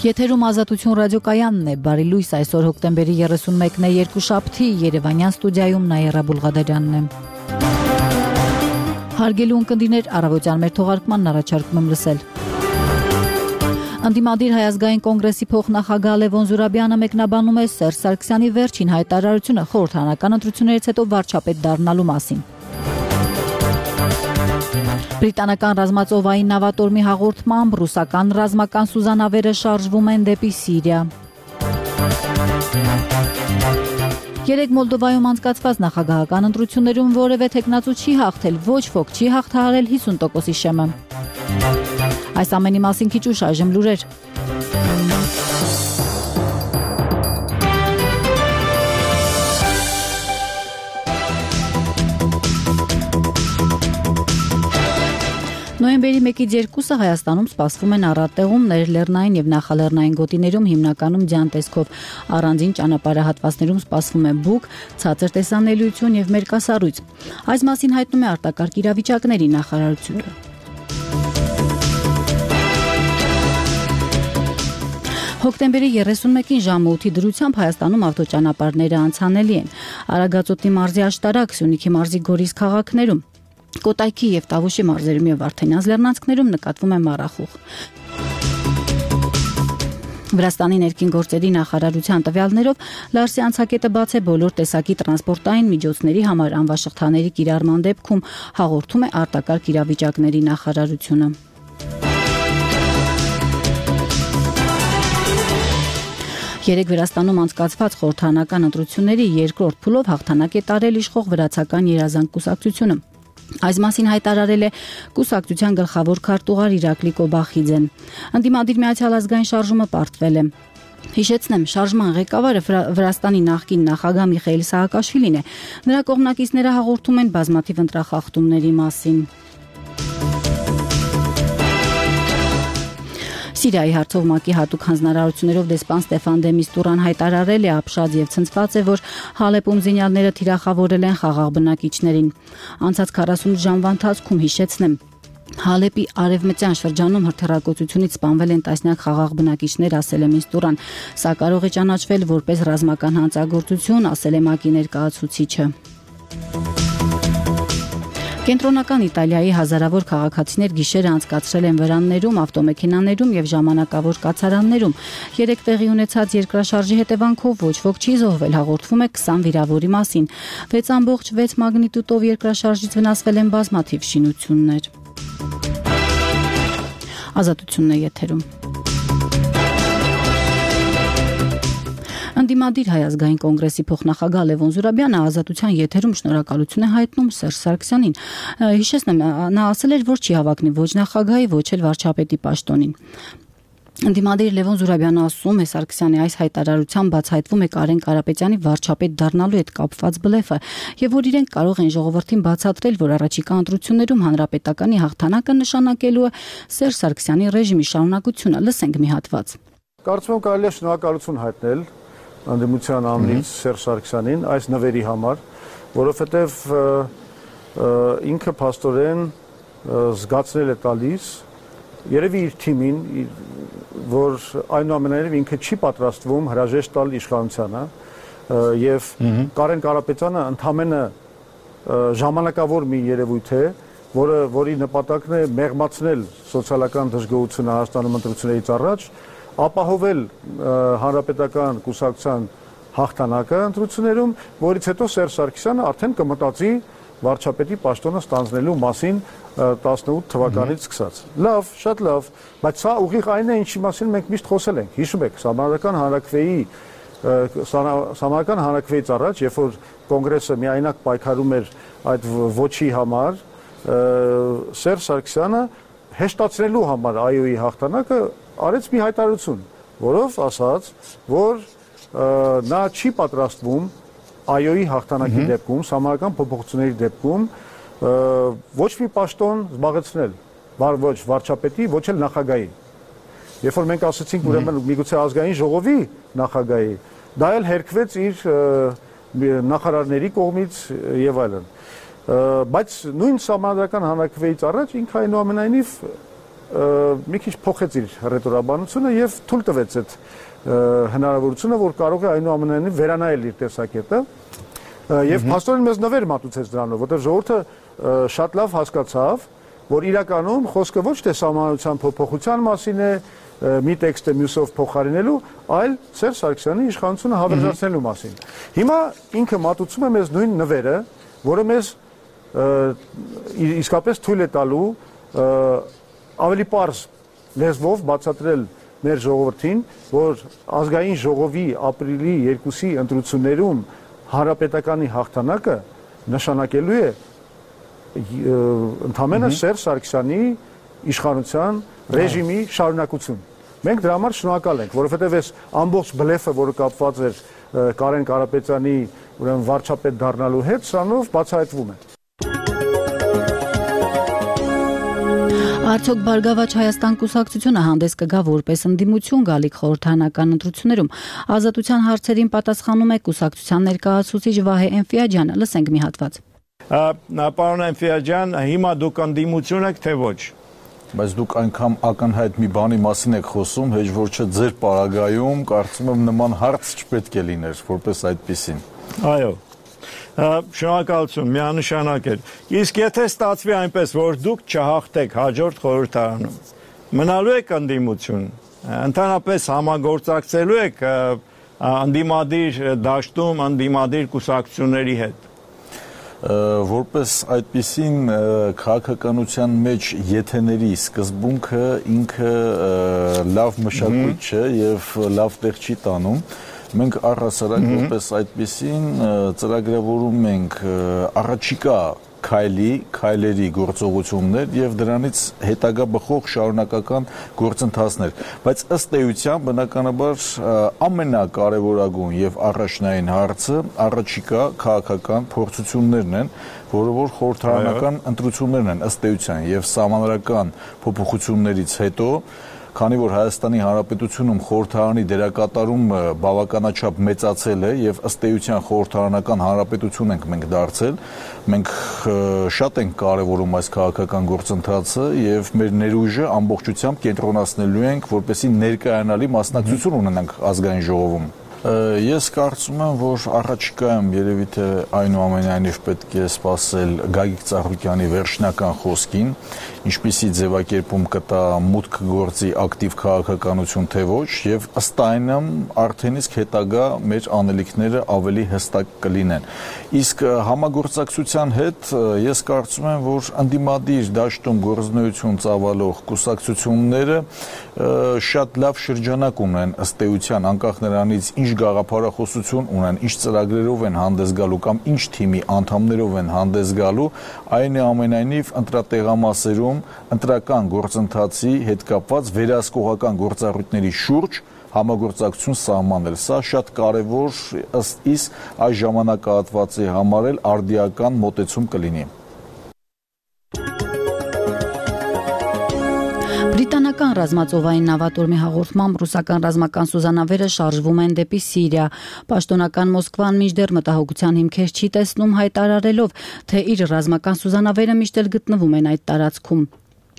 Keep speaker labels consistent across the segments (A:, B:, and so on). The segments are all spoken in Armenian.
A: Եթերում Ազատություն ռադիոկայանն է, բարի լույս, այսօր հոկտեմբերի 31-ն է, երկուշաբթի, Երևանյան ստուդիայում Նաիրա Բուլղադարյանն է։ Հարգելի ունկնդիրներ, առավոտյան մեր թողարկմանն առաջարկում եմ լսել։ Ընդդիմադիր Հայազգային կոնգրեսի փոխնախագահ Լևոն Զուրաբյանը մեկնաբանում է Սերժ Սարգսյանի վերջին հայտարարությունը խորհրդարանական ընտրություններից հետո վարչապետ դառնալու մասին։ Բրիտանական ռազմածովային նավատորմի հաղորդմամբ ռուսական ռազմական սուզանավերը շարժվում են դեպի Սիրիա։ Երեկ Մոլդովայում անցկացված նախագահական ընտրություններում որևէ թեկնածու չի հաղթել, ոչ ոք չի հաղթահարել 50%-ի շեմը։ Այս ամենի մասին քիչ ուշ այժմ լուրեր։ Նոյեմբերի 1-ից 2-ը Հայաստանում սպասվում են առատեղումներ լեռնային եւ նախալեռնային գոտիներում հիմնականում ձյան տեսքով, առանձին ճանապարհահատվածներում սպասվում է բուք, ցածր տեսանելիություն եւ մերկասառույց։ Այս մասին հայտնում է արտակարգ իրավիճակների նախարարությունը։ Հոկտեմբերի 31-ին ժամը 8-ի դրությամբ Հայաստանում ավտոճանապարհները անցանելի են։ Արագածոտնի մարզի աշտարակ, Սյունիքի մարզի Գորիս քաղաքներում, Կոտայքի եւ Տավուշի մարզերում եւ Վարդենյաց լեռնանցքներում նկատվում է մառախուղ։ Վրաստանի ներքին գործերի նախարարության տվյալներով Լարսի անցակետը բաց է բոլոր տեսակի տրանսպորտային միջոցների համար անվաշղթաների կիրառման դեպքում, հաղորդում է արտակարգ իրավիճակների նախարարությունը։ Երեկ Վրաստանում անցկացված խորհրդարանական ընտրությունների երկրորդ փուլով հաղթանակ է տարել իշխող վրացական երազանք կուսակցությունը։ Այս մասին հայտարարել է կուսակցության գլխավոր քարտուղար Իրակլի Կոբախիձեն։ Ընդդիմադիր Միացյալ ազգային շարժումը պարտվել է։ Հիշեցնեմ, շարժման ղեկավարը Վրաստանի նախկին նախագահ Միխայիլ Սահակաշվիլին է։ Նրա կողմնակիցները հաղորդում են բազմաթիվ ընտրախախտումների մասին։ Սիրիայի հարցով ՄԱԿ-ի հատուկ հանձնարարություններով դեսպան Ստեֆան դե Միստուրան հայտարարել է ապշած եւ ցնցված է, որ Հալեպում զինյալները թիրախավորել են խաղաղ բնակիչներին։ Անցած 48 ժամվա ընթացքում հիշեցնեմ, Հալեպի արևմտյան շրջանում հրթիռակոծությունից սպանվել են տասնյակ խաղաղ բնակիչներ, ասել է Միստուրան։ Սա կարող է ճանաչվել որպես ռազմական հանցագործություն, ասել է ՄԱԿ-ի ներկայացուցիչը։ Կենտրոնական Իտալիայի հազարավոր քաղաքացիներ գիշերը անցկացրել են վրաններում, ավտոմեքենաներում եւ ժամանակավոր կացարաններում։ Երեկ տեղի ունեցած երկրաշարժի հետևանքով ոչ ոք չի զոհվել, հաղորդվում է 20 վիրավորի մասին։ 6.6 մագնիտուդով երկրաշարժից վնասվել են բազմաթիվ շինություններ։ Ազատությունն է եթերում։ Ընդդիմադիր Հայազգային կոնգրեսի փոխնախագահ Լևոն Զուրաբյանը Ազատության եթերում շնորհակալություն է հայտնում Սերժ Սարգսյանին։ Հիշեցնեմ, նա ասել էր, որ չի հավակնի ոչ նախագահի, ոչ էլ վարչապետի պաշտոնին։ Ընդդիմադիր Լևոն Զուրաբյանը ասում է, Սարգսյանի այս հայտարարությամբ բացահայտվում է Կարեն Կարապետյանի վարչապետ դառնալու հետ կապված բլեֆը, եւ որ իրենք կարող են ժողովրդին բացատրել, որ առաջիկա ընտրություններում հանրապետականի հաղթանակը նշանակելու է Սերժ Սարգսյանի ռեժիմի շարունակությունը։ Լսենք մի հատված։
B: Կարծում եմ կարելի է շնորհակալություն հայտնել Անդեմության ամրից Սերժ Սարգսյանին այս նվերի համար, որովհետև ինքը փաստորեն զգացնել է տալիս երևի իր թիմին, որ այնուամենայնիվ ինքը չի պատրաստվում հրաժեշտ տալ իշխանությանը եւ Կարեն Կարապետյանը ընդամենը ժամանակավոր մի երևույթ է, որի նպատակն է մեղմացնել սոցիալական դժգոհությունը Հայաստանում ընտրություններից առաջ, ապահովել հանրապետական կուսակցության հաղթանակը ընտրություններում, որից հետո Սերժ Սարգսյանը արդեն կմտածի վարչապետի պաշտոնը ստանձնելու մասին 18 թվականից սկսած։ Լավ, շատ լավ, բայց սա ուղիղ այն է, ինչի մասին մենք միշտ խոսել ենք։ Հիշում եք, Սահմանադրական հանրաքվեից առաջ, երբ որ կոնգրեսը միայնակ պայքարում էր այդ ոչի համար, Սերժ Սարգսյանը հեշտացնելու համար ԱՅՈ-ի հաղթանակը արեց մի հայտարարություն, որով ասաց, որ նա չի պատրաստվում ԱՅՈ-ի հաղթանակի դեպքում, սահմանադրական փոփոխությունների դեպքում ոչ մի պաշտոն զբաղեցնել, ոչ վարչապետի, ոչ էլ նախագահի։ Երբ որ մենք ասացինք, ուրեմն միգուցե ազգային ժողովի նախագահի, դա էլ հերքվեց իր նախարարների կողմից եւ այլն։ Բայց նույն սահմանադրական հանրաքվեից առաջ ինքը այնուամենայնիվ մի քիչ փոխեց իր ռետորաբանությունը եւ թույլ տվեց այդ հնարավորությունը, որ կարող է այնուամենայնիվ վերանայել իր տեսակետը եւ փաստորեն մեզ նվեր մատուցեց դրանով, որտեղ ժողովուրդը շատ լավ հասկացավ, որ իրականում խոսքը ոչ թե սահմանության փոփոխության մասին է, մի տեքստը մյուսով փոխարինելու, այլ Սերժ Սարգսյանի իշխանությունը հավերժացնելու մասին։ Հիմա ինքը մատուցում է մեզ նույն նվերը, որը մեզ իսկապես թույլ է տալու ավելի պարզ լեզվով բացատրել մեր ժողովրդին, որ ազգային ժողովի ապրիլի 2-ի ընտրություններում հանրապետականի հաղթանակը նշանակելու է ընդհանրապես Սերժ Սարգսյանի իշխանության ռեժիմի շարունակություն։ Մենք դրա համար շնորհակալ ենք, որովհետև այս ամբողջ բլեֆը, որը կապված էր Կարեն Կարապետյանի ուրեմն վարչապետ դառնալու հետ, սրանով բացահայտվում է։
A: Արդյոք Բարգավաճ Հայաստան կուսակցությունը հանդես կգա որպես ընդդիմություն գալիք խորհրդարանական ընտրություններում։ Ազատության հարցերին պատասխանում է կուսակցության ներկայացուցիչ Վահե Էնֆիաջյանը, լսենք մի հատված։
C: Պարոն Էնֆիաջյան, հիմա դուք ընդդիմություն եք, թե ոչ։
D: Բայց դուք այնքան ակնհայտ մի բանի մասին եք խոսում, հեչ որ չէ ձեր պարագայում կարծում եմ նման հարց չպետք է լիներ, որպես այդպիսին։
C: Այո։ Շնորհակալություն, միանշանակ էր։ Իսկ եթե ստացվի այնպես, որ դուք չհաղթեք հաջորդ խորհրդարանում, մնալու եք ընդդիմություն, ընդհանրապես համագործակցելու եք ընդդիմադիր դաշտում, ընդդիմադիր կուսակցությունների հետ։
D: Որպես այդպիսին քաղաքականության մեջ եթեների սկզբունքը ինքը լավ մշակույթ չէ եւ լավ տեղ չի տանում։ Մենք առհասարակ որպես այդպիսին ծրագրավորում ենք առաջիկա քայլերի գործողություններ եւ դրանից հետագա բխող շարունակական գործընթացներ, բայց ըստ էության բնականաբար ամենակարևորագույն եւ առաջնային հարցը առաջիկա քաղաքական փորձություններն են, որը որ խորհրդարանական ընտրություններն են ըստ էության եւ սահմանադրական փոփոխություններից հետո քանի որ Հայաստանի Հանրապետությունում խորհրդարանի դերակատարումը բավականաչափ մեծացել է եւ ըստ էության խորհրդարանական հանրապետություն ենք մենք դարձել, մենք շատ ենք կարևորում այս քաղաքական գործընթացը եւ մեր ներուժը ամբողջությամբ կենտրոնացնելու ենք, որպեսզի ներկայանալի մասնակցություն ունենանք ազգային ժողովում։ Ես կարծում եմ, որ առաջիկայում երևի թե այնուամենայնիվ պետք է սպասել Գագիկ Ծառուկյանի վերջնական խոսքին, ինչպիսի ձևակերպում կտա մուտք գործի ակտիվ քաղաքականություն թե ոչ, եւ ըստ այնմ արդեն իսկ հետագա մեր անելիքները ավելի հստակ կլինեն։ Իսկ համագործակցության հետ ես կարծում եմ, որ ընդդիմադիր դաշտում գործունեություն ծավալող կուսակցությունները շատ լավ շրջանակ ունեն ըստ էության, անկախ նրանից ինչ գաղափարախոսություն ունեն, ինչ ծրագրերով են հանդես գալու կամ ինչ թիմի անդամներով են հանդես գալու, այնուամենայնիվ ընտրատեղամասերում ընտրական գործընթացի հետ կապված վերահսկողական գործառույթների շուրջ համագործակցություն սահմանել։ Սա շատ կարևոր ըստ իս այս ժամանակահատվածի համար էլ արդիական մոտեցում կլինի։
A: Բրիտանական ռազմածովային նավատորմի հաղորդմամբ ռուսական ռազմական սուզանավերը շարժվում են դեպի Սիրիա։ Պաշտոնական Մոսկվան մինչդեռ մտահոգության հիմքեր չի տեսնում, հայտարարելով, թե իր ռազմական սուզանավերը միշտ էլ գտնվում են այդ տարածքում։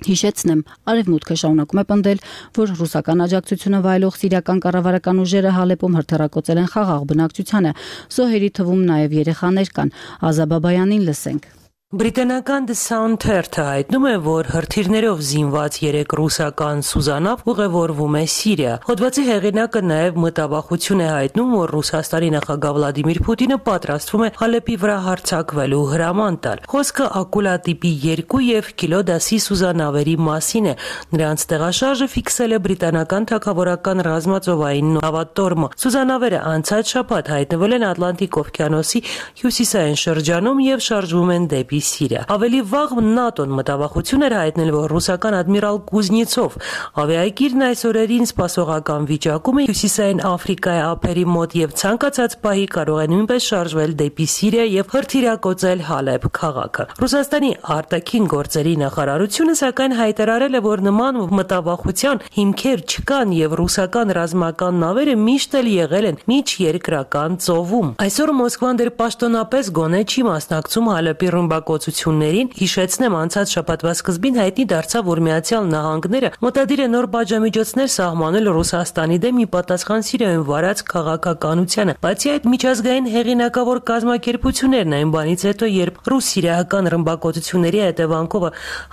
A: Հիշեցնեմ, Արևմուտքը շարունակում է պնդել, որ ռուսական աջակցությունը վայելող սիրիական կառավարական ուժերը Հալեպում հրթիռակոծել են խաղաղ բնակչությանը։ Զոհերի թվում նաև երեխաներ կան։ Ազա Բաբայանին լսենք։
E: Բրիտանական The Sun թերթը հայտնում է, որ հրթիռներով զինված 3 ռուսական սուզանավ ուղևորվում է Սիրիա։ Հոդվածի հեղինակը նաև մտավախություն է հայտնում, որ Ռուսաստանի նախագահ Վլադիմիր Պուտինը պատրաստվում է Հալեպի վրա հարձակվելու հրաման տալ։ Խոսքը Ակուլա տիպի 2 եւ Կիլո դասի սուզանավերի մասին է։ Նրանց տեղաշարժը ֆիքսել է բրիտանական թագավորական ռազմածովային նավատորմը։ Սուզանավերը անցած շաբաթ հայտնվել են Ատլանտիկ օվկիանոսի հյուսիսային շրջանում եւ շարժվում են դեպի Սիրիա։ Ավելի վաղ ՆԱՏՕ-ն մտավախություն էր հայտնել, որ ռուսական ադմիրալ Կուզնիցով ավիակիրն այս օրերին սպասողական վիճակում է հյուսիսային Աֆրիկայի ափերի մոտ եւ ցանկացած պահի կարող է նույնպես շարժվել դեպի Սիրիա եւ հրթիռակոծել Հալեբ քաղաքը։ Ռուսաստանի արտաքին գործերի նախարարությունը սակայն հայտարարել է, որ նման մտավախության հիմքեր չկան եւ ռուսական ռազմական նավերը միշտ էլ եղել են միջերկրական ծովում։ Այսօր Մոսկվան դեռ պաշտոնապես գոնե չի մասնակցում Հալեպի ռմբակոծության ռմբակոծություններին, հիշեցնեմ, անցած շաբաթվա սկզբին հայտնի դարձավ, որ Միացյալ Նահանգները մտադիր է նոր պատժամիջոցներ սահմանել Ռուսաստանի դեմ ի պատասխան Սիրիայում վարած քաղաքականությանը։ Բացի այդ, միջազգային հեղինակավոր կազմակերպություններն այն բանից հետո, երբ ռուս-սիրիական ռմբակոծությունների հետևանքով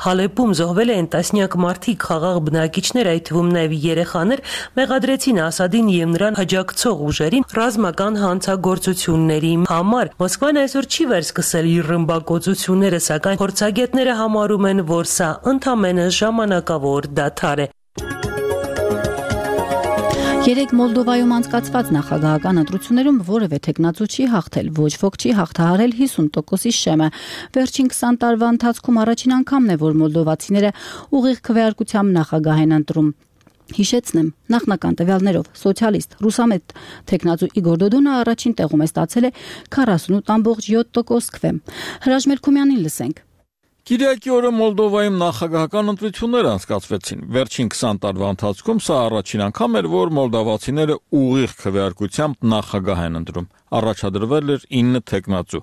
E: Հալեպում զոհվել են տասնյակ մարդիկ, խաղաղ բնակիչներ, այդ թվում նաև երեխաներ, մեղադրեցին Ասադին եւ նրան աջակցող ուժերին ռազմական հանցագործությունների համար։ Մոսկվան այսօր չի վերսկսել իր ռմբակոծությունները, սակայն փորձագետները համարում են, որ սա ընդամենը ժամանակավոր դադար է։
A: Երեք Մոլդովայում անցկացված նախագահական ընտրություններում որևէ տեխնացու չի հաղթել, ոչ ոք չի հաղթահարել 50%-ի շեմը։ Վերջին 20 տարվա ընթացքում առաջին անգամն է, որ մոլդովացիները ուղիղ քվեարկությամբ նախագահ են ընտրում։ Հիշեցնեմ, նախնական տվյալներով սոցիալիստ ռուսամետ տեխնացու Իգոր Դոդոնը առաջին տեղում է ստացել 48.7% քվե։ Հրաժ Մելքումյանին լսենք։
F: Կիրակի օրը Մոլդովայում նախագահական ընտրություններ անցկացվեցին։ Վերջին 20 տարվա ընթացքում սա առաջին անգամ էր, որ մոլդովացիները ուղիղ քվեարկությամբ նախագահ են ընտրում։ Առաջադրվել էր 9 տեխնացու։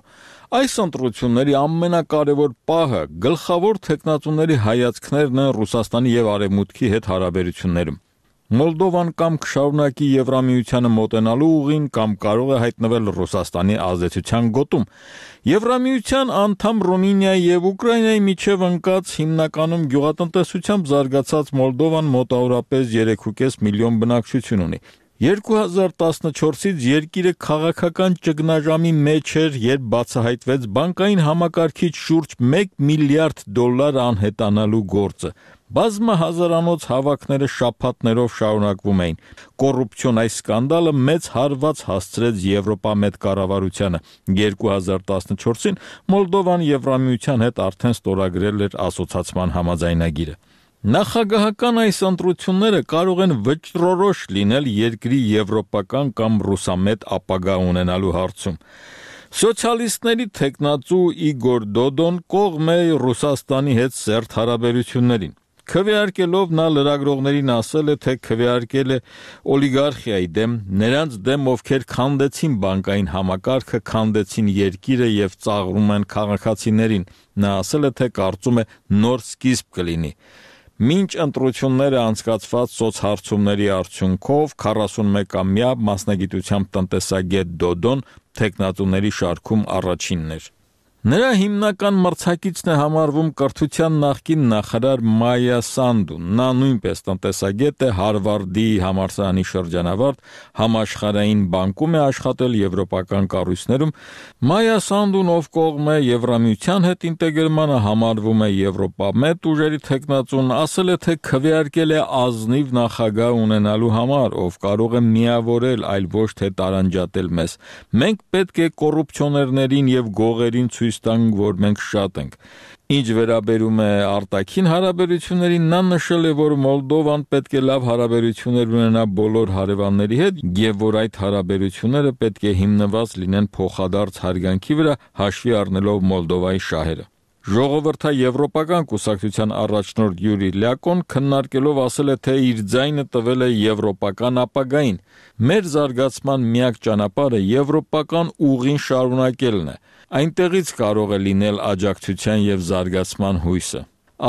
F: Այս ընտրությունների ամենակարևոր պահը գլխավոր տեխնացուների հայացքներն են Ռուսաստանի եւ Արևմուտքի հետ հարաբերություններում։ Մոլդովան կամ կշարունակի Եվրամիությանը մոտենալու ուղին կամ կարող է հայտնվել Ռուսաստանի ազդեցության գոտում։ Եվրամիության անդամ Ռումինիայի եւ Ուկրաինայի միջև ընկած հիմնականում գյուղատնտեսությամբ զարգացած Մոլդովան մոտավորապես 3.5 միլիոն բնակչություն ունի։ 2014-ից երկիրը քաղաքական ճգնաժամի մեջ էր, երբ բացահայտվեց բանկային համակարգիչ շուրջ $1 միլիարդ անհետանալու գործը։ Բազմահազարանոց հավաքները շաբաթներով շարունակվում էին։ Կոռուպցիոն այս սկանդալը մեծ հարված հասցրեց Եվրոպամետ կառավարությանը։ 2014-ին Մոլդովան Եվրամիության հետ արդեն ստորագրել էր ասոցացման համաձայնագիրը։ Նախագահական այս ընտրությունները կարող են վճռորոշ լինել երկրի եվրոպական կամ ռուսամետ ապագա ունենալու հարցում։ Սոցիալիստների տեխնացու Իգոր Դոդոն կողմ է Ռուսաստանի հետ սերտ հարաբերություններին։ Քվեարկելով նա լրագրողներին ասել է, թե քվեարկել է օլիգարխիայի դեմ, նրանց դեմ, ովքեր քանդեցին բանկային համակարգը, քանդեցին երկիրը եւ ծաղրում են քաղաքացիներին։ Նա ասել է, թե կարծում է նոր սկիզբ կլինի։ Մինչ ընտրությունները անցկացված սոցհարցումների արդյունքով 41-ամյա մասնագիտությամբ տնտեսագետ Դոդոն տեխնատուների շարքում առաջինն էր։ Նրա հիմնական մրցակիցն է համարվում կրթության նախկին նախարար Մայա Սանդուն։ Նա նույնպես տնտեսագետ է, Հարվարդի համալսարանի շրջանավարտ, համաշխարհային բանկում է աշխատել եվրոպական կառույցներում։ Մայա Սանդուն, ով կողմ է Եվրամիության հետ ինտեգրմանը, համարվում է Եվրոպամետ ուժերի տեխնացուն, ասել է, թե քվեարկել է ազնիվ նախագահ ունենալու համար, ով կարող է միավորել, այլ ոչ թե տարանջատել մեզ։ Մենք պետք է կոռուպցիոներներին եւ գողերին ցույց տանք, որ մենք շատ ենք։ Ինչ վերաբերում է արտաքին հարաբերություններին, նա նշել է, որ Մոլդովան պետք է լավ հարաբերություններ ունենա բոլոր հարևանների հետ եւ որ այդ հարաբերությունները պետք է հիմնված լինեն փոխադարձ հարգանքի վրա, հաշվի առնելով Մոլդովայի շահերը։ Ժողովրդաեվրոպական կուսակցության առաջնորդ Յուրի Լյակոն քննարկելով ասել է, թե իր ձայնը տվել է եվրոպական ապագային։ Մեր զարգացման միակ ճանապարհը եվրոպական ուղին շարունակելն է։ Այնտեղից կարող է լինել աջակցության եւ զարգացման հույսը։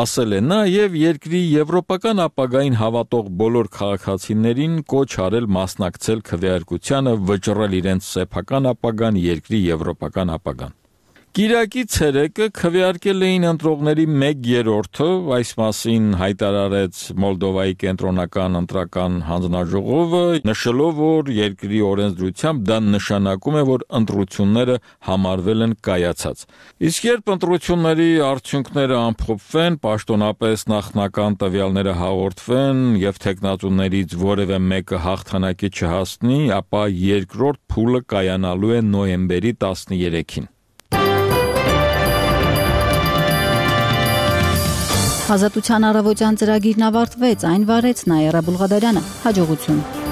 F: Ասել է նա եւ երկրի եվրոպական ապագային հավատող բոլոր քաղաքացիներին կոչ արել մասնակցել քվեարկությանը, վճռել իրենց սեփական ապագան, երկրի եվրոպական ապագան։ Կիրակի ցերեկը քվեարկել էին ընտրողների 1/3-ը, այս մասին հայտարարեց Մոլդովայի կենտրոնական ընտրական հանձնաժողովը, նշելով, որ երկրի օրենսդրությամբ դա նշանակում է, որ ընտրությունները համարվել են կայացած։ Իսկ երբ ընտրությունների արդյունքները ամփոփվեն, պաշտոնապես նախնական տվյալները հաղորդվեն եւ տեխնատուներից որևէ մեկը հաղթանակի չհասնի, ապա երկրորդ փուլը կայանալու է նոյեմբերի 13-ին։
A: Ազատության առավոտյան ծրագիրն ավարտվեց, այն վարեց Նաիրա Բուլղադարյանը։ Հաջողություն։